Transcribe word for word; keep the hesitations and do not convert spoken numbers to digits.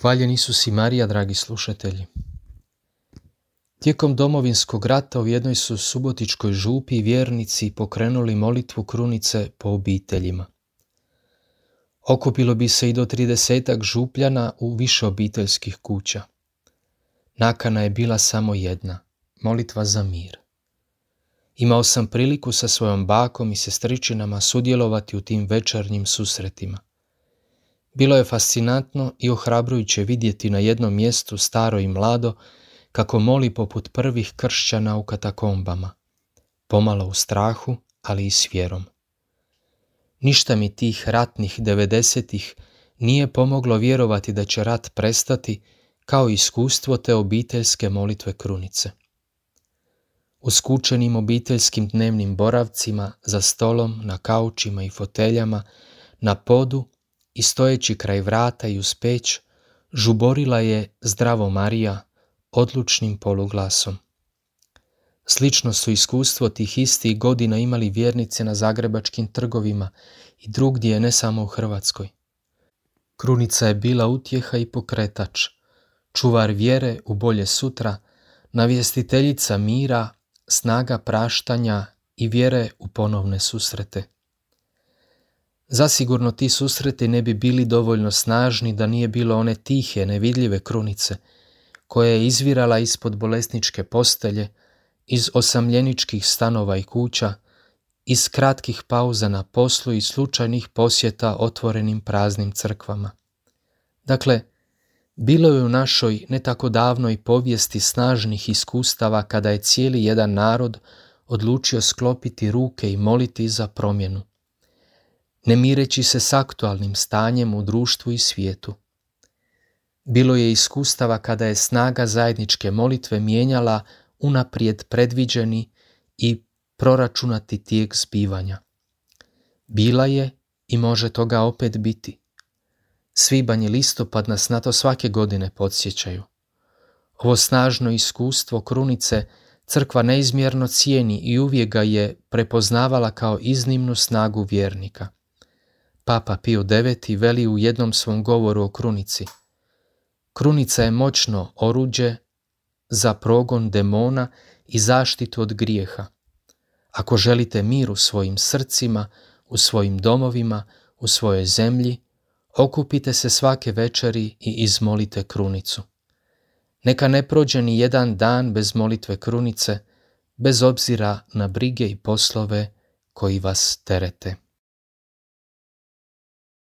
Hvaljen Isus i Marija, dragi slušatelji. Tijekom Domovinskog rata u jednoj su subotičkoj župi vjernici pokrenuli molitvu krunice po obiteljima. Okupilo bi se i do tridesetak župljana u više obiteljskih kuća. Nakana je bila samo jedna, molitva za mir. Imao sam priliku sa svojom bakom i sestričinama sudjelovati u tim večernjim susretima. Bilo je fascinantno i ohrabrujuće vidjeti na jednom mjestu staro i mlado kako moli poput prvih kršćana u katakombama, pomalo u strahu, ali i s vjerom. Ništa mi tih ratnih devedesetih nije pomoglo vjerovati da će rat prestati, kao iskustvo te obiteljske molitve krunice. U skučenim obiteljskim dnevnim boravcima, za stolom, na kaučima i foteljama, na podu i stojeći kraj vrata i uz peć, žuborila je Zdravo Marija odlučnim poluglasom. Slično su iskustvo tih istih godina imali vjernici na zagrebačkim trgovima i drugdje, ne samo u Hrvatskoj. Krunica je bila utjeha i pokretač, čuvar vjere u bolje sutra, navjestiteljica mira, snaga praštanja i vjere u ponovne susrete. Zasigurno ti susreti ne bi bili dovoljno snažni da nije bilo one tihe, nevidljive krunice, koja je izvirala ispod bolesničke postelje, iz osamljeničkih stanova i kuća, iz kratkih pauza na poslu i slučajnih posjeta otvorenim praznim crkvama. Dakle, bilo je u našoj ne tako davnoj povijesti snažnih iskustava kada je cijeli jedan narod odlučio sklopiti ruke i moliti za promjenu, ne mireći se s aktualnim stanjem u društvu i svijetu. Bilo je iskustava kada je snaga zajedničke molitve mijenjala unaprijed predviđeni i proračunati tijek zbivanja. Bila je i može toga opet biti. Svibanj i listopad nas na to svake godine podsjećaju. Ovo snažno iskustvo krunice crkva neizmjerno cijeni i uvijek ga je prepoznavala kao iznimnu snagu vjernika. Papa Pio deveti veli u jednom svom govoru o krunici: krunica je moćno oruđe za progon demona i zaštitu od grijeha. Ako želite mir u svojim srcima, u svojim domovima, u svojoj zemlji, okupite se svake večeri i izmolite krunicu. Neka ne prođe ni jedan dan bez molitve krunice, bez obzira na brige i poslove koji vas terete.